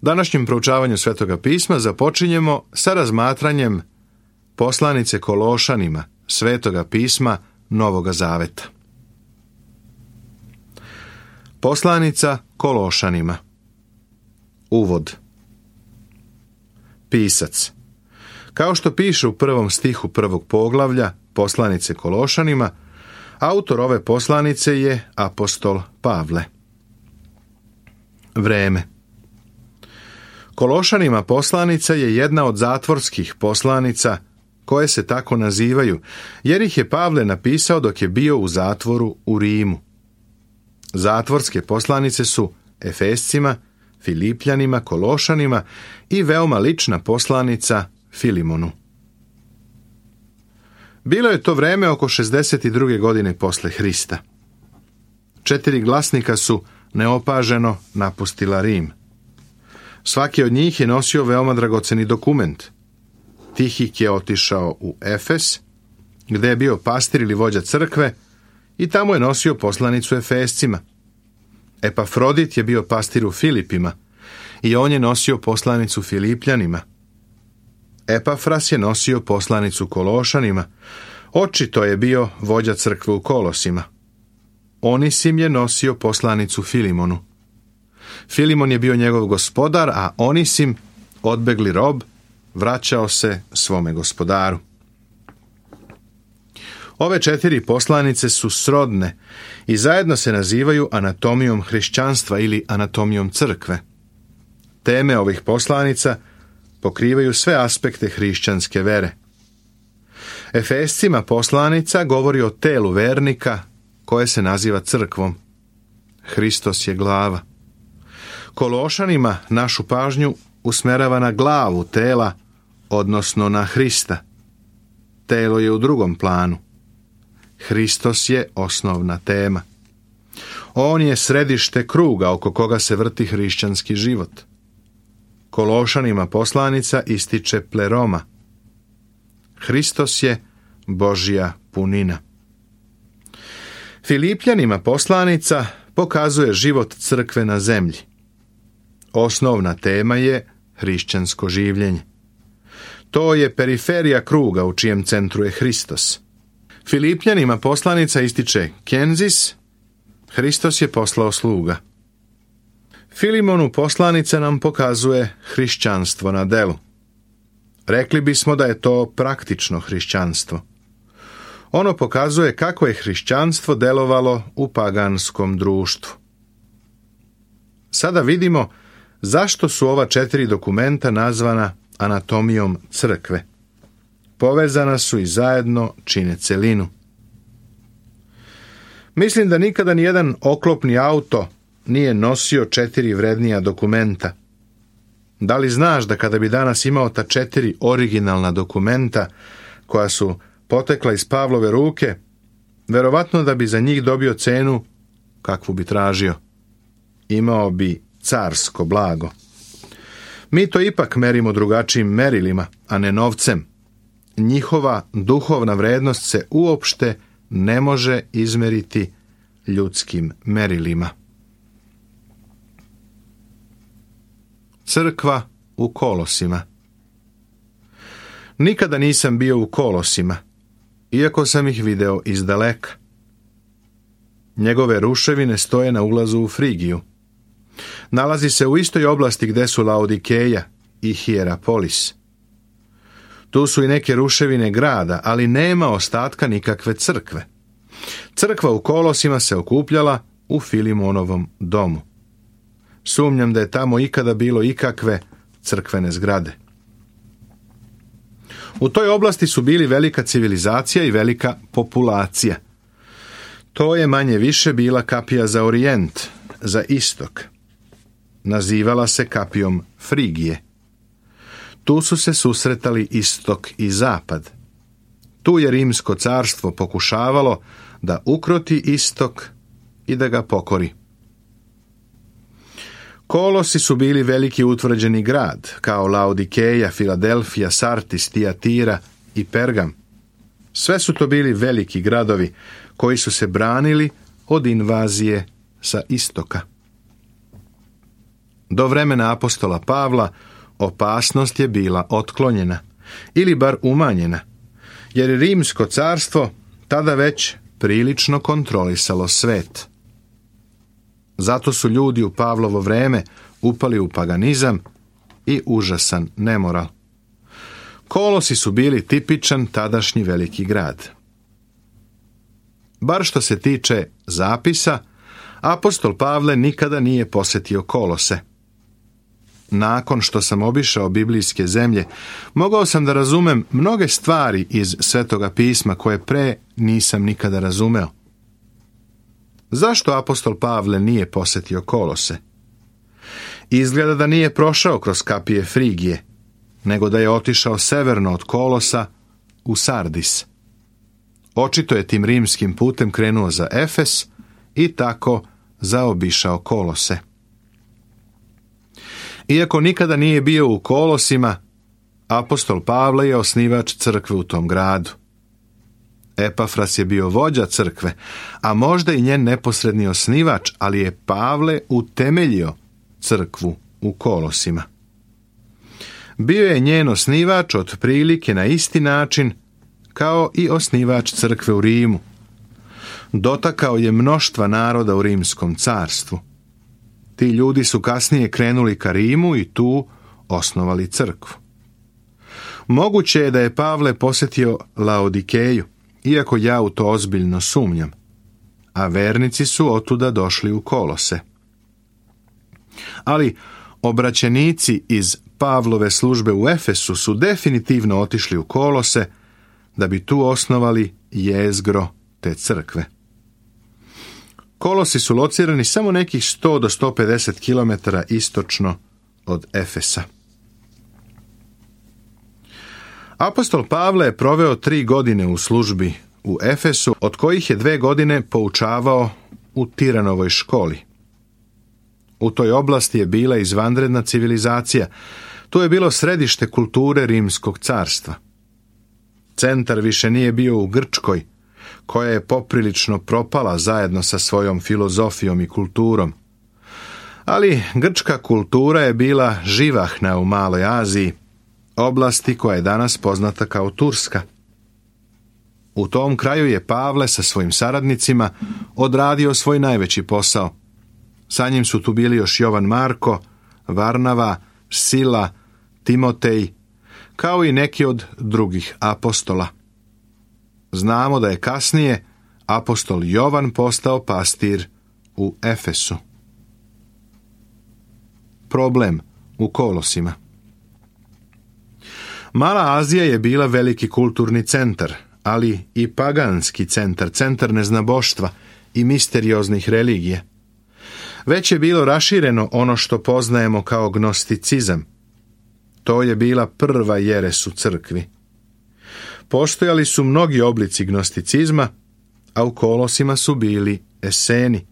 Današnjem proučavanju Svetoga pisma započinjemo sa razmatranjem poslanice Kološanima, Svetoga pisma Novoga zaveta. Poslanica Kološanima. Uvod. Pisac. Kao što piše u 1. stihu 1. poglavlja poslanice Kološanima, autor ove poslanice je apostol Pavle. Vreme. Kološanima poslanica je jedna od zatvorskih poslanica koje se tako nazivaju, jer ih je Pavle napisao dok je bio u zatvoru u Rimu. Zatvorske poslanice su Efescima, Filipljanima, Kološanima i veoma lična poslanica Filimonu. Bilo je to vreme oko 62. godine posle Hrista. 4 glasnika su neopaženo napustila Rim. Svaki od njih je nosio veoma dragoceni dokument. Tihik je otišao u Efes, gde je bio pastir ili vođa crkve, i tamo je nosio poslanicu Efescima. Epafrodit je bio pastir u Filipima i on je nosio poslanicu Filipljanima. Epafras je nosio poslanicu Kološanima, očito je bio vođa crkve u Kolosima. Onisim je nosio poslanicu Filimonu. Filimon je bio njegov gospodar, a Onisim, odbegli rob, vraćao se svome gospodaru. Ove 4 poslanice su srodne i zajedno se nazivaju anatomijom hrišćanstva ili anatomijom crkve. Teme ovih poslanica pokrivaju sve aspekte hrišćanske vere. Efescima poslanica govori o telu vernika koje se naziva crkvom. Hristos je glava. Kološanima našu pažnju usmerava na glavu tela, odnosno na Hrista. Telo je u drugom planu. Hristos je osnovna tema. On je središte kruga oko koga se vrti hrišćanski život. Kološanima poslanica ističe pleroma. Hristos je Božja punina. Filipljanima poslanica pokazuje život crkve na zemlji. Osnovna tema je hrišćansko življenje. To je periferija kruga u čijem centru je Hristos. Filipljanima poslanica ističe Kenzis, Hristos je poslao sluga. Filimonu poslanica nam pokazuje hrišćanstvo na delu. Rekli bismo da je to praktično hrišćanstvo. Ono pokazuje kako je hrišćanstvo delovalo u paganskom društvu. Sada vidimo zašto su ova 4 dokumenta nazvana anatomijom crkve. Povezana su i zajedno čine celinu. Mislim da nikada nijedan oklopni auto nije nosio 4 vrednija dokumenta. Da li znaš da kada bi danas imao ta 4 originalna dokumenta koja su potekla iz Pavlove ruke, verovatno da bi za njih dobio cenu kakvu bi tražio. Imao bi carsko blago. Mi to ipak merimo drugačijim merilima, a ne novcem. Njihova duhovna vrednost se uopšte ne može izmeriti ljudskim merilima. Crkva u Kolosima. Nikada nisam bio u Kolosima, iako sam ih video izdaleka. Njegove ruševine stoje na ulazu u Frigiju. Nalazi se u istoj oblasti gde su Laodikeja i Hierapolis. Tu su i neke ruševine grada, ali nema ostatka nikakve crkve. Crkva u Kolosima se okupljala u Filimonovom domu. Sumnjam da je tamo ikada bilo ikakve crkvene zgrade. U toj oblasti su bili velika civilizacija i velika populacija. To je manje više bila kapija za orijent, za istok. Nazivala se kapijom Frigije. Tu su se susretali istok i zapad. Tu je Rimsko carstvo pokušavalo da ukroti istok i da ga pokori. Kolosi su bili veliki utvrđeni grad, kao Laodikeja, Filadelfija, Sartis, Tijatira i Pergam. Sve su to bili veliki gradovi koji su se branili od invazije sa istoka. Do vremena apostola Pavla opasnost je bila otklonjena, ili bar umanjena, jer je Rimsko carstvo tada već prilično kontrolisalo svet. Zato su ljudi u Pavlovo vreme upali u paganizam i užasan nemoral. Kolosi su bili tipičan tadašnji veliki grad. Bar što se tiče zapisa, apostol Pavle nikada nije posjetio Kolose. Nakon što sam obišao biblijske zemlje, mogao sam da razumem mnoge stvari iz Svetoga pisma koje pre nisam nikada razumeo. Zašto apostol Pavle nije posjetio Kolose? Izgleda da nije prošao kroz kapije Frigije, nego da je otišao severno od Kolosa u Sardis. Očito je tim rimskim putem krenuo za Efes i tako zaobišao Kolose. Iako nikada nije bio u Kolosima, apostol Pavle je osnivač crkve u tom gradu. Epafras je bio vođa crkve, a možda i njen neposredni osnivač, ali je Pavle utemeljio crkvu u Kolosima. Bio je njen osnivač otprilike na isti način kao i osnivač crkve u Rimu. Dotakao je mnoštva naroda u Rimskom carstvu. Ti ljudi su kasnije krenuli ka Rimu i tu osnovali crkvu. Moguće je da je Pavle posjetio Laodikeju, iako ja u to ozbiljno sumnjam, a vernici su otuda došli u Kolose. Ali obraćenici iz Pavlove službe u Efesu su definitivno otišli u Kolose da bi tu osnovali jezgro te crkve. Kolosi su locirani samo nekih 100 do 150 km istočno od Efesa. Apostol Pavle je proveo 3 godine u službi u Efesu, od kojih je 2 godine poučavao u Tiranovoj školi. U toj oblasti je bila izvanredna civilizacija. Tu je bilo središte kulture Rimskog carstva. Centar više nije bio u Grčkoj, koja je poprilično propala zajedno sa svojom filozofijom i kulturom. Ali grčka kultura je bila živahna u Maloj Aziji, oblasti koja je danas poznata kao Turska. U tom kraju je Pavle sa svojim saradnicima odradio svoj najveći posao. Sa njim su tu bili još Jovan Marko, Varnava, Sila, Timotej, kao i neki od drugih apostola. Znamo da je kasnije apostol Jovan postao pastir u Efesu. Problem u Kolosima. Mala Azija je bila veliki kulturni centar, ali i paganski centar, centar neznaboštva i misterioznih religija. Već je bilo rašireno ono što poznajemo kao gnosticizam. To je bila prva jeres u crkvi. Postojali su mnogi oblici gnosticizma, a u Kolosima su bili eseni.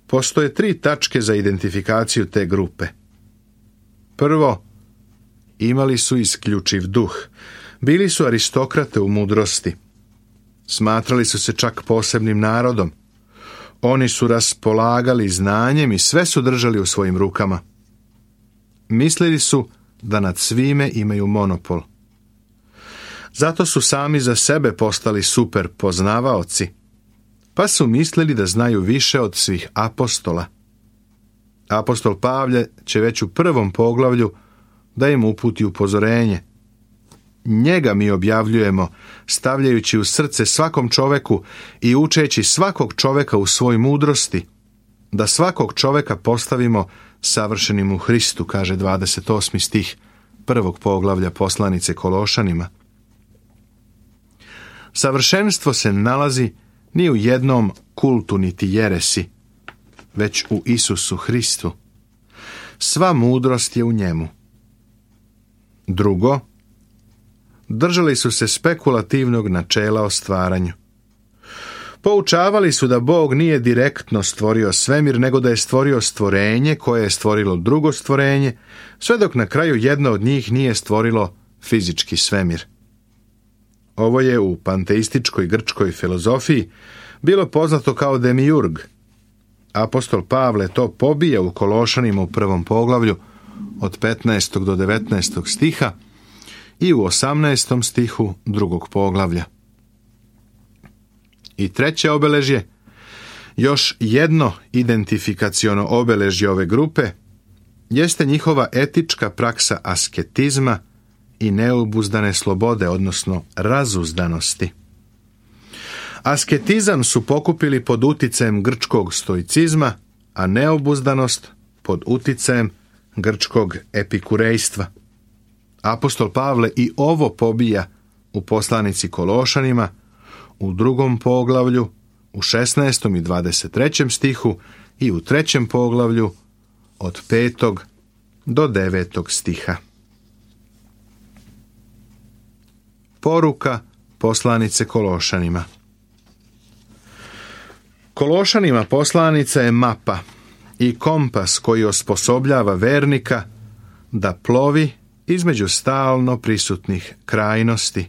Postoje 3 tačke za identifikaciju te grupe. Prvo, imali su isključiv duh. Bili su aristokrate u mudrosti. Smatrali su se čak posebnim narodom. Oni su raspolagali znanjem i sve su držali u svojim rukama. Mislili su da nad svime imaju monopol. Zato su sami za sebe postali super poznavaoci, pa su mislili da znaju više od svih apostola. Apostol Pavle će već u 1. poglavlju da im uputi upozorenje. Njega mi objavljujemo, stavljajući u srce svakom čoveku i učeći svakog čoveka u svoj mudrosti, da svakog čoveka postavimo savršenim u Hristu, kaže 28. stih 1. poglavlja poslanice Kološanima. Savršenstvo se nalazi ni u jednom kultu niti jeresi, već u Isusu Hristu. Sva mudrost je u njemu. Drugo, držali su se spekulativnog načela o stvaranju. Poučavali su da Bog nije direktno stvorio svemir, nego da je stvorio stvorenje koje je stvorilo drugo stvorenje, sve dok na kraju jedno od njih nije stvorilo fizički svemir. Ovo je u panteističkoj grčkoj filozofiji bilo poznato kao demiurg. apostol Pavle to pobija u Kološanima u 1. poglavlju od 15. do 19. stiha i u 18. stihu 2. poglavlja. I treće obeležje, još jedno identifikaciono obeležje ove grupe, jeste njihova etička praksa asketizma i neobuzdane slobode, odnosno razuzdanosti. Asketizam su pokupili pod uticajem grčkog stoicizma, a neobuzdanost pod uticajem grčkog epikurejstva. Apostol Pavle i ovo pobija u poslanici Kološanima u 2. poglavlju, u 16. i 23. stihu i u 3. poglavlju od 5. do 9. stiha. Poruka poslanice Kološanima. Kološanima poslanica je mapa i kompas koji osposobljava vernika da plovi između stalno prisutnih krajnosti.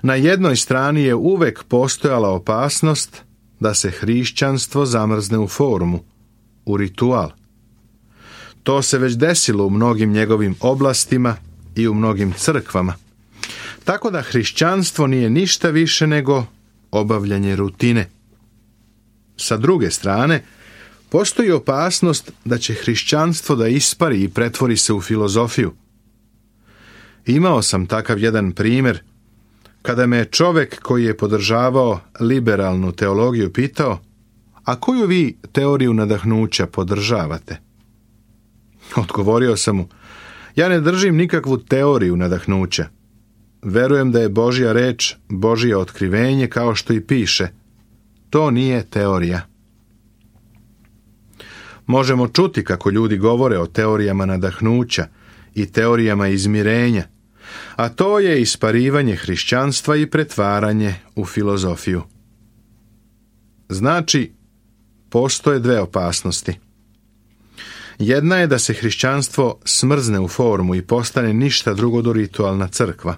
Na jednoj strani je uvek postojala opasnost da se hrišćanstvo zamrzne u formu, u ritual. To se već desilo u mnogim njegovim oblastima i u mnogim crkvama. Tako da hrišćanstvo nije ništa više nego obavljanje rutine. Sa druge strane, postoji opasnost da će hrišćanstvo da ispari i pretvori se u filozofiju. Imao sam takav jedan primjer kada me je čovjek koji je podržavao liberalnu teologiju pitao: a koju vi teoriju nadahnuća podržavate? Odgovorio sam mu: ja ne držim nikakvu teoriju nadahnuća. Verujem da je Božja reč Božje otkrivenje, kao što i piše. To nije teorija. Možemo čuti kako ljudi govore o teorijama nadahnuća i teorijama izmirenja, a to je isparivanje hrišćanstva i pretvaranje u filozofiju. Znači, postoje dve opasnosti. Jedna je da se hrišćanstvo smrzne u formu i postane ništa drugo do ritualna crkva.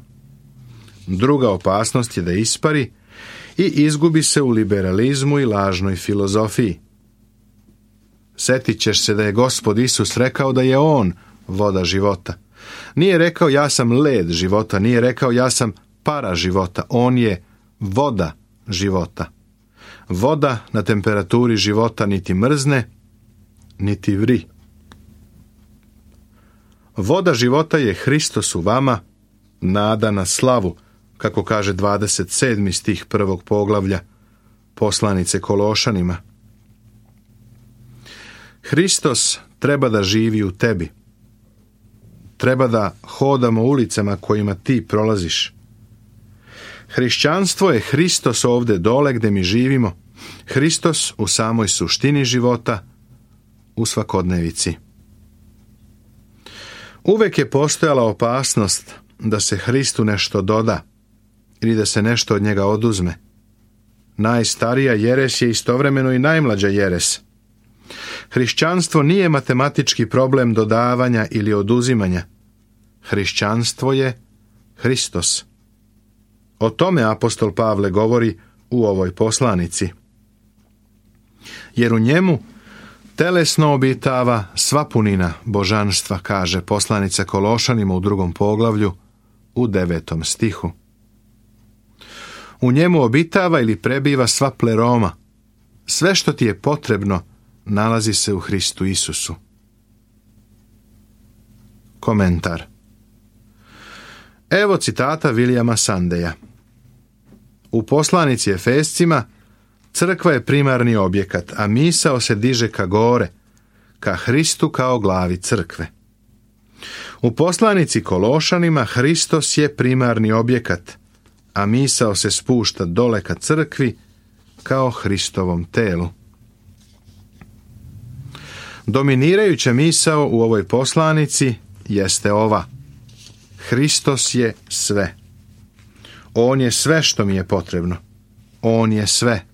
Druga opasnost je da ispari i izgubi se u liberalizmu i lažnoj filozofiji. Setit ćeš se da je Gospod Isus rekao da je On voda života. Nije rekao ja sam led života, nije rekao ja sam para života, On je voda života. Voda na temperaturi života niti mrzne, niti vri. Voda života je Hristos u vama, nada na slavu, kako kaže 27. stih 1. poglavlja poslanice Kološanima. Hristos treba da živi u tebi. Treba da hodamo ulicama kojima ti prolaziš. Hrišćanstvo je Hristos ovdje dole gdje mi živimo, Hristos u samoj suštini života, u svakodnevici. Uvek je postojala opasnost da se Hristu nešto doda ili da se nešto od njega oduzme. Najstarija jeres je istovremeno i najmlađa jeres. Hrišćanstvo nije matematički problem dodavanja ili oduzimanja. Hrišćanstvo je Hristos. O tome apostol Pavle govori u ovoj poslanici. Jer u njemu telesno obitava sva punina božanstva, kaže poslanica Kološanima u 2. poglavlju u 9. stihu. U njemu obitava ili prebiva sva pleroma. Sve što ti je potrebno nalazi se u Hristu Isusu. Komentar. Evo citata Williama Sandeja. U poslanici Efescima crkva je primarni objekat, a misao se diže ka gore, ka Hristu kao glavi crkve. U poslanici Kološanima Hristos je primarni objekat, a misao se spušta dole ka crkvi kao Hristovom telu. Dominirajuća misao u ovoj poslanici jeste ova: Hristos je sve. On je sve što mi je potrebno. On je sve.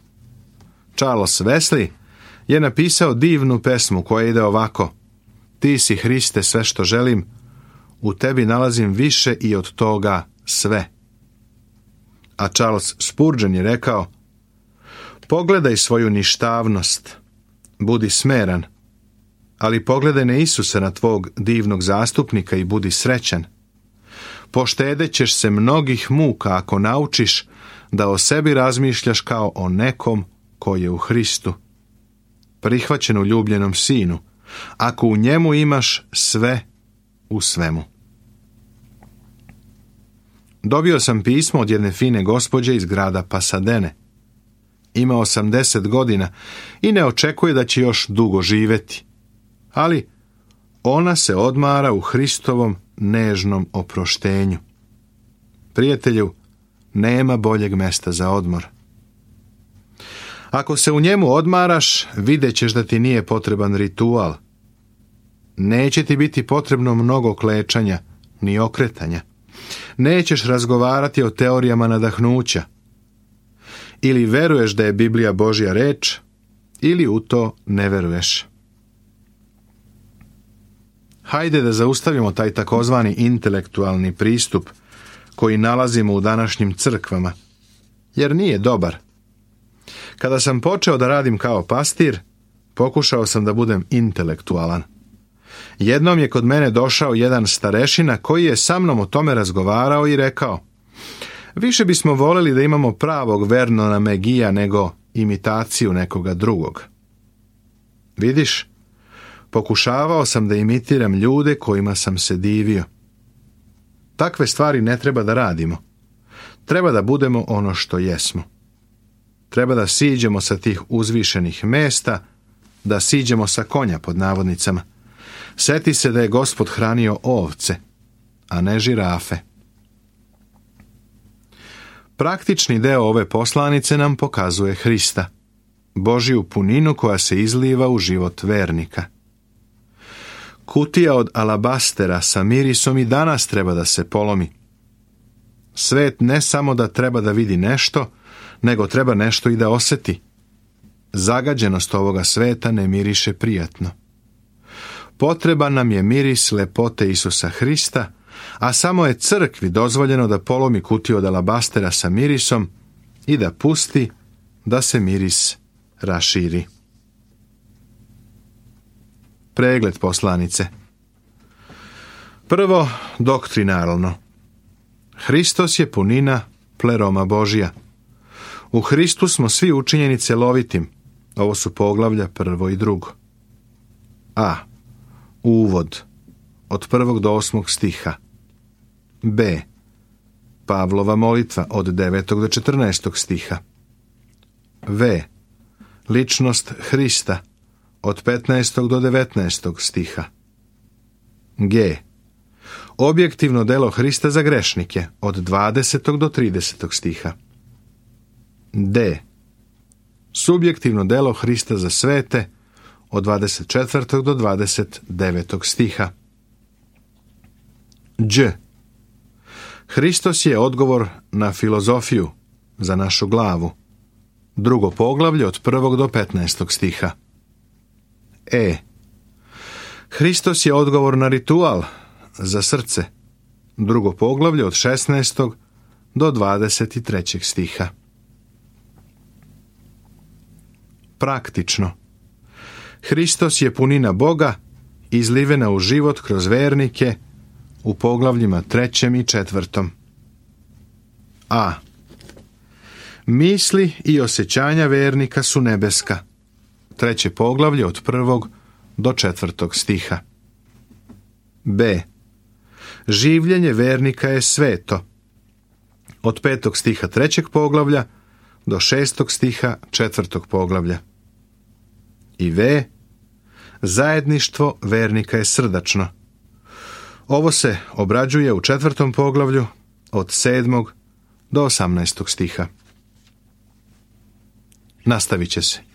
Charles Wesley je napisao divnu pesmu koja ide ovako: Ti si, Hriste, sve što želim, u tebi nalazim više i od toga sve. A Charles Spurgeon je rekao: Pogledaj svoju ništavnost budi smeran, ali pogledaj na Isusa, na tvog divnog zastupnika i budi srećan. Poštedjet ćeš se mnogih muka ako naučiš da o sebi razmišljaš kao o nekom koji je u Hristu, prihvaćen u ljubljenom sinu, ako u njemu imaš sve u svemu. Dobio sam pismo od jedne fine gospođe iz grada Pasadene. Ima 80 godina i ne očekuje da će još dugo živjeti, ali ona se odmara u Hristovom nežnom oproštenju. Prijatelju, nema boljeg mesta za odmor. Ako se u njemu odmaraš, vidjet ćeš da ti nije potreban ritual. Neće ti biti potrebno mnogo klečanja, ni okretanja. Nećeš razgovarati o teorijama nadahnuća. Ili veruješ da je Biblija Božja reč, ili u to ne veruješ. Hajde da zaustavimo taj takozvani intelektualni pristup koji nalazimo u današnjim crkvama, jer nije dobar. Kada sam počeo da radim kao pastir, pokušao sam da budem intelektualan. Jednom je kod mene došao jedan starešina koji je sa mnom o tome razgovarao i rekao: više bismo voljeli da imamo pravog Vernona McGeea nego imitaciju nekoga drugog. Vidiš, pokušavao sam da imitiram ljude kojima sam se divio. Takve stvari ne treba da radimo. Treba da budemo ono što jesmo. Treba da siđemo sa tih uzvišenih mesta, da siđemo sa konja pod navodnicama. Seti se da je Gospod hranio ovce, a ne žirafe. Praktični deo ove poslanice nam pokazuje Hrista, Božju puninu koja se izliva u život vernika. Kutija od alabastera sa mirisom i danas treba da se polomi. Svet ne samo da treba da vidi nešto, nego treba nešto i da osjeti. Zagađenost ovoga sveta ne miriše prijatno. Potreban nam je miris lepote Isusa Hrista, a samo je crkvi dozvoljeno da polomi kutiju od alabastera sa mirisom i da pusti da se miris raširi. Pregled poslanice. Prvo, doktrinarno. Hristos je punina pleroma Božja. U Hristu smo svi učinjeni celovitim. Ovo su poglavlja 1. i 2. A. Uvod od 1. do 8. stiha. B. Pavlova molitva od 9. do 14. stiha. V. Ličnost Hrista od 15. do 19. stiha. G. Objektivno delo Hrista za grešnike od 20. do 30. stiha. D. Subjektivno delo Hrista za svete od 24. do 29. stiha. Đ. Hristos je odgovor na filozofiju za našu glavu. Drugo poglavlje od 1. do 15. stiha. E. Hristos je odgovor na ritual za srce. Drugo poglavlje od 16. do 23. stiha. Praktično. Hristos je punina Boga, izlivena u život kroz vernike u poglavljima 3. i 4. A. Misli i osjećanja vernika su nebeska. 3. poglavlje od 1. do 4. stiha. B. Življenje vernika je sveto. Od 5. stiha 3. poglavlja do 6. stiha 4. poglavlja. I V. Zajedništvo vernika je srdačno. Ovo se obrađuje u 4. poglavlju od 7. do 18. stiha. Nastavit će se.